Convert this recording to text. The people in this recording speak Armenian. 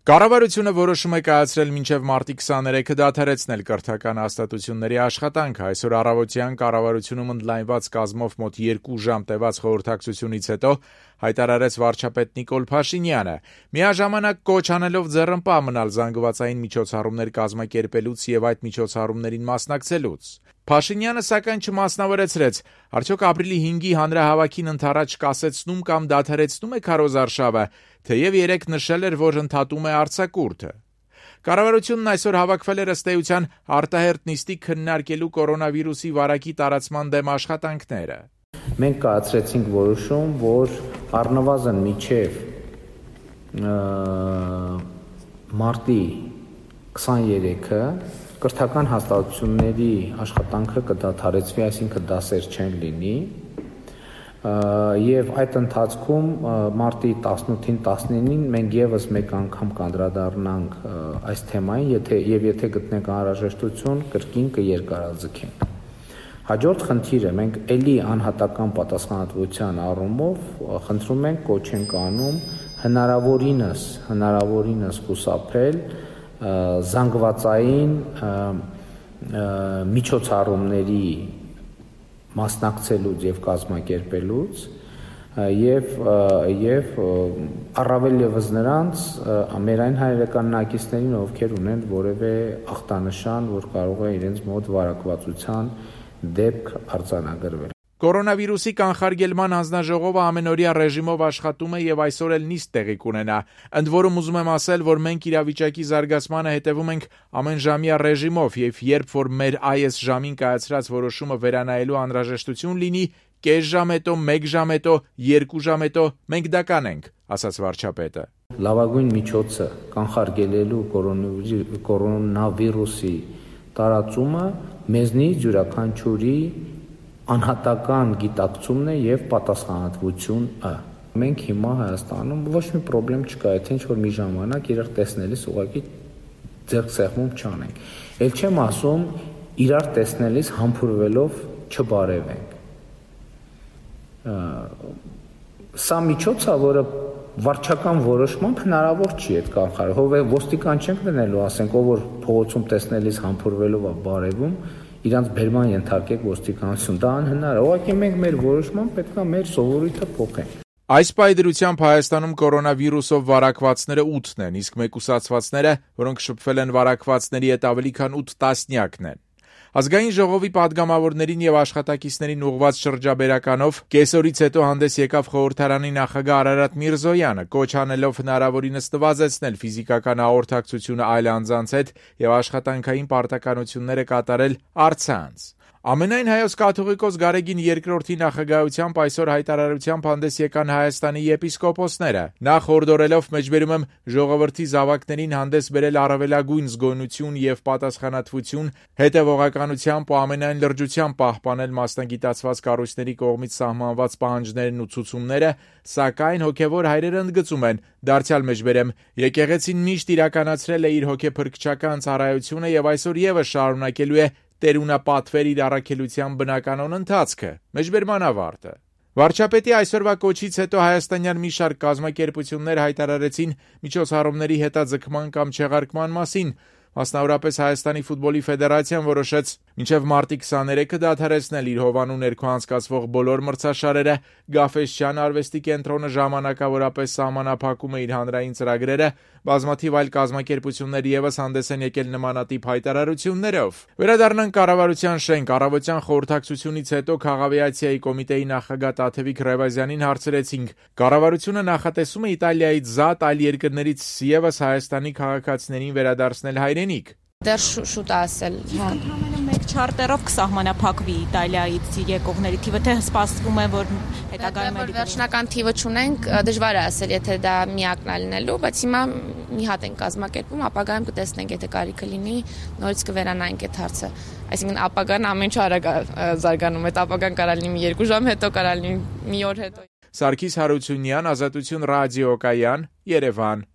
Կառավարությունը որոշում է կայացրել մինչև մարտի 23-ը դադարեցնել կրթական հաստատությունների աշխատանքը։ Այսօր առավոտյան կառավարությունում ընդլայնված կազմով մոտ 2 ժամ տևած խորհրդակցությունից հետո հայտարարեց վարչապետ Նիկոլ Փաշինյանը, միաժամանակ կոչ անելով ձեռնպահ մնալ զանգվածային միջոցառումներ կազմակերպելուց եւ այդ միջոցառումներին մասնակցելուց։ Փաշինյանը սակայն չմասնավորեցրեց, արդյոք ապրիլի 5-ի հանրահավաքին ընդառաջ կասեցնում կամ դադարեցնում է քարոզարշավը, թեև երեկ նշել էր, որ ընդհատում է արձակուրդը։ Կառավարությունն այսօր հավաքվել էր ըստ էության արտահերթ նիստի քննարկելու կորոնավիրուսի վարակի տարածման դեմ աշխատանքները։ Մենք կայացրեցինք որոշում, որ առնվազն մինչև մարտի 23-ը կրթական հաստատությունների աշխատանքը կդադարեցվի, այսինքն դասեր չեն լինի, եւ այդ ընթացքում մարտի 18-ին 19-ին մենք եւս մեկ անգամ կանդրադառնանք այս թեմային, եթե գտնենք անհրաժեշտություն, կրկին կերկարաձգենք։ Հաջորդ խնդիրը մենք ելի անհատական պատասխանատվության առումով խնդրում ենք, կոչ ենք անում հնարավորինս խուսափել զանգվածային միջոցառումների մասնակցելուց եւ կազմակերպելուց եւ առավել եւս նրանց մեր այն հայրենակիցներին, ովքեր ունեն որևէ ախտանշան, որ կարող է իրենց մոտ վարակվածության դեպք արձանագրվել։ Կորոնավիրուսի կանխարգելման հանձնաժողովը ամենօրյա ռեժիմով աշխատում է եւ այսօր էլ նիստ տեղի կունենա։ Ընդ որում ուզում եմ ասել, որ մենք իրավիճակի զարգացմանը հետևում ենք ամենժամյա ռեժիմով եւ երբ որ մեր այս ժամին կայացրած որոշումը վերանայելու անհրաժեշտություն լինի, կես ժամ հետո, 1 ժամ հետո, 2 ժամ հետո մենք դա կանենք, ասաց վարչապետը։ Լավագույն միջոցը կանխարգելելու կորոնավիրուսի տարածումը մեզնից յուրաքանչյուրի անհատական գիտակցումն է եւ պատասխանատվությունը։ Մենք հիմա Հայաստանում ոչ մի խնդրեմ չկա, եթե ինչ-որ մի ժամանակ իրար տեսնելիս ուղղակի ձեռքսեղմում չանենք։ Էլ չեմ ասում իրար տեսնելիս համբուրվելով չբարևենք։ Սա միջոց է, որը վարչական որոշմամբ հնարավոր չի այդ կանխարգելել։ Ոստիկան չենք դնելու, ասենք, ով որ փողոցում տեսնելիս համբուրվելով է բարևում, իրանց բերման ենթարկեք ոստիկանություն, դա անհնար է։ Ուղղակի մենք մեր որոշմամբ պետք է մեր սովորույթը փոխենք։ Այս պայդրությամբ Հայաստանում կորոնավիրուսով վարակվածները 8-ն են, իսկ մեկուսացվածները, որոնք շփվել են վարակվածների հետ ավելի քան 8 տասնյակն են։ Ազգային ժողովի падգամավորներին եւ աշխատակիցներին ուղղված շրջաբերականով կեսօրից հետո հանդես եկավ խորհրդարանի նախագահ Արարատ Միրզոյանը, կոչ անելով հնարավորինս նվազեցնել ֆիզիկական հաղորդակցությունը այլ անձանց հետ եւ աշխատանքային պարտականությունները կատարել առցանց։ Ամենայն հայոց կաթողիկոս Գարեգին II-ի նախագահությամբ այսօր հայտարարությամբ հանդես եկան Հայաստանի եպիսկոպոսները։ Նախ հորդորելով մեջբերում եմ ժողովրդի զավակներին հանդես բերել առավելագույն զգոնություն եւ պատասխանատվություն, հետեւողականությամբ ու ամենայն լրջությամբ պահպանել մասնագիտացված կառույցների կողմից սահմանված պահանջներն ու ցուցումները, սակայն հոգեվոր հայրերը ընդգծում են, դարձյալ մեջբերեմ, եկեղեցին միշտ իրականացրել է իր հոգեփրկչական ծառայությունը եւ այսօր եւս շարունակելու է տերունապատվեր իր առաքելության բնականոն ընթացքը, մեջբերման ավարտը։ Վարչապետի այսօրվա կոչից հետո հայաստանյան մի շարք կազմակերպություններ հայտարարեցին միջոցառումների հետաձգման կամ չեղարկման մասին, մասնավորապես Հայաստանի ֆուտբոլի ֆեդերացիան որոշեց մինչև մարտի 23-ը դադարեցնել իր հովանու ներքո անցկացվող բոլոր մրցաշարերը, Գաֆէսճեան արվեստի կենտրոնը ժամանակավորապես սահմանափակում է իր հանրային ծրագրերը, բազմաթիվ այլ կազմակերպություններ եւս հանդես են եկել նմանատիպ հայտարարություններով։ Վերադառնանք կառավարության շենք, առավոտյան խորհրդակցությունից հետո Քաղավիացիայի կոմիտեի նախագահ Տաթևիկ Ռևազյանին հարցրեցինք. կառավարությունը նախատեսում է Իտալիայից զատ այլ երկրներից եւս Հայաստանի քաղաքացիներին վերադարձնել հայրենիք։ Դեռ շուտ է ասել։ Ընդհանրապես մեկ չարտերով կսահմանափակվի Իտալիայից եկողների թիվը, թե սպասվում է, որ հետագայում վերջնական թիվը չունենք, դժվար է ասել, եթե դա միակն է լինելու, բայց հիմա մի հատ ենք կազմակերպում, ապագայում կտեսնենք, եթե կարիքը լինի, նորից կվերանայենք այդ հարցը։ Այսինքն ապագան ամեն ինչ արագ զարգանում է, ապագան կարող լինի 2 ժամ հետո, կարող լինի մի օր հետո։ Սարգիս Հարությունյան, Ազատություն ռադիոկայան, Երևան։